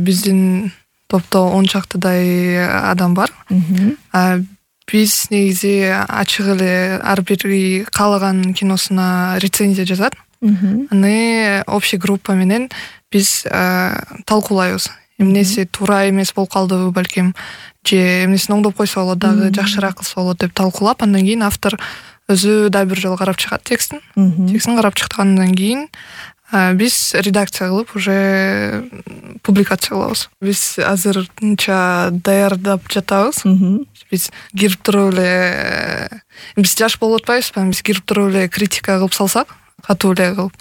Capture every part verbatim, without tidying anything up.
биздин топто он чактыдай адам бар. Биз негизи ачык эле ар бири каалаган киносуна рецензия жазат. Аны общий группа менен биз талкуулайбыз. Эмнеси туура эмес болуп калдыбы балким, же эмнесин оңдоп койсо болот дагы, жакшыраак кылса болот деп талкуулап, андан кийин автор өзү дагы бир жолу карап чыгат текстин. Текстин карап чыккандан кийин биз редакция кылып уже публикация кылабыз. Биз азырынча даярдап жатабыз. Биз кирип туруп эле биз жаш болуп атпайбызбы? Биз кирип туруп эле критика кылып салсак, катуу эле кылып.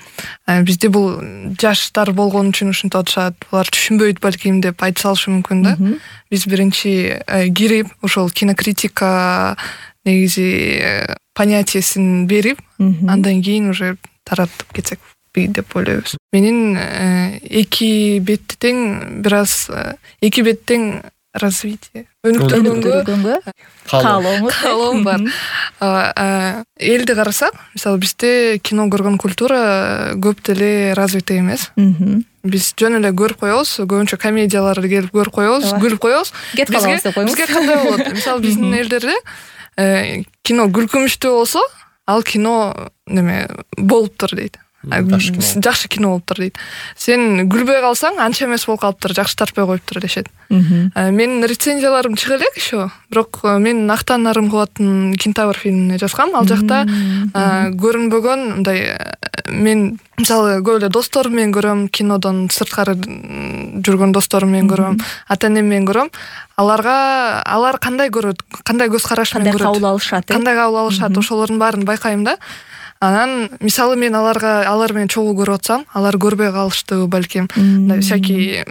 Бизде бул жаштар болгон үчүн ушинтип атышат, булар түшүнбөйт балким деп айтып салышы мүмкүн да. Биз биринчи кирип ошол кинокритика негизи понятиесин берип, андан кийин уже таратып кетсек деп ойлойбуз. Менин эки бетти тең бир аз эки бет тең развитие өнүктүргөнгө каалоом бар. Элди карасак, мисалы бизде кино көргөн культура көп деле развитый эмес. Биз жөн эле көрүп коебуз, көбүнчө комедияларды келип көрүп коебуз, күлүп коебуз. Бизге кандай болот? Мисалы биздин элдерде кино күлкүмүштүү болсо, ал кино неме болуптур дейт. Жакшы кино болуптур дейт. Сен күлбөй калсаң, анча эмес болуп калыптыр, жакшы тартпай коюптур дешет. Менин рецензияларым чыга элек еще, бирок мен Актан Нарымкуловдун Кентавр фильмине жазгам. Ал жакта көрүнбөгөн мындай, мен мисалы көп эле досторум менен көрөм, кинодон сырткары жүргөн досторум менен көрөм, ата-энем менен көрөм. Аларга алар кандай көрөт, кандай көз караш менен көрөт, кандай кабыл алышат, кандай кабыл алышат, ошолордун баарын байкайм да. Анан мисалы мен аларга алар менен чогуу көрүп атсам, алар көрбөй калыштыбы балким. Всякий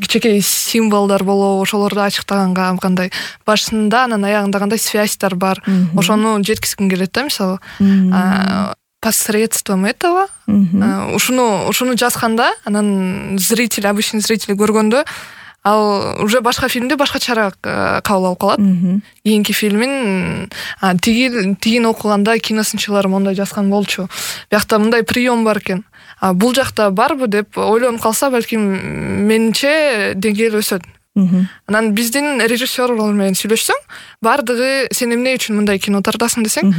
кичинекей символдор болобу, ошолорду ачыктаганга кандай башында, анан аягында кандай связьтар бар, ошону жеткизгим келет да, мисалы. Посредством этого ушуну ушуну жазганда, анан зритель, обычный зритель көргөндө ал уже башка фильмде башкачараак кабыл алып калат. Кийинки фильмин тиги тигин окуганда киносынчылар мондай жазган болчу. Биякта мындай прием бар экен. Бул жакта барбы деп ойлонуп калса, балким менимче деңгээл өсөт. Анан биздин режиссерлор менен сүйлөшсөң, бардыгы сен эмне үчүн мындай кино тартасың десең,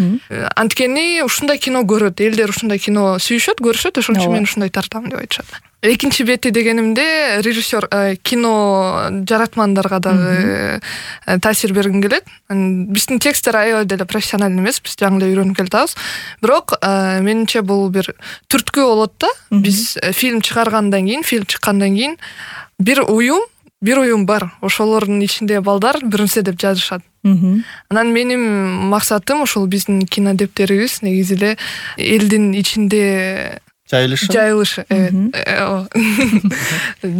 анткени ушундай кино көрөт, элдер ушундай кино сүйүшөт, көрүшөт, ошон үчүн мен ушундай тартам деп айтышат. Экинчи бети дегенимде режиссер кино жаратмандарга дагы таасир бергим келет. Биздин тексттер аябай деле профессиональный эмес, биз жаңы эле үйрөнүп келатабыз. Бирок менимче бул бир түрткү болот да. Биз фильм чыгаргандан кийин, фильм чыккандан кийин бир уюм Бир уюм бар. Ошолордун ичинде балдар бир нерсе деп жазышат. Анан менин максатым ошол биздин кинодептерибиз негизи эле элдин ичинде жайылышы. Жайылышы, evet.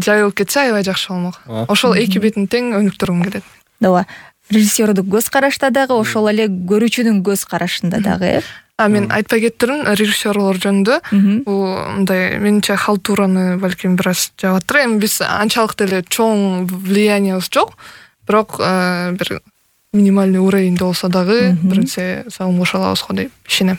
Жайылып кетсе аябай жакшы болмок. Ошол эки бетин тең өнүктүргүм келет. Ооба. Режиссердук көз карашта дагы, ошол эле көрүүчүнүн көз карашында дагы. А мен айтпай кеттирмин режиссерлор жөнүндө. Бул мындай менимче халтураны балким бир аз жабаттыр. Эми биз анчалык деле чоң влияниябыз жок, бирок бир минимальный уровеньде болсо дагы бир нерсе салым кошо алабыз го деп ишенем.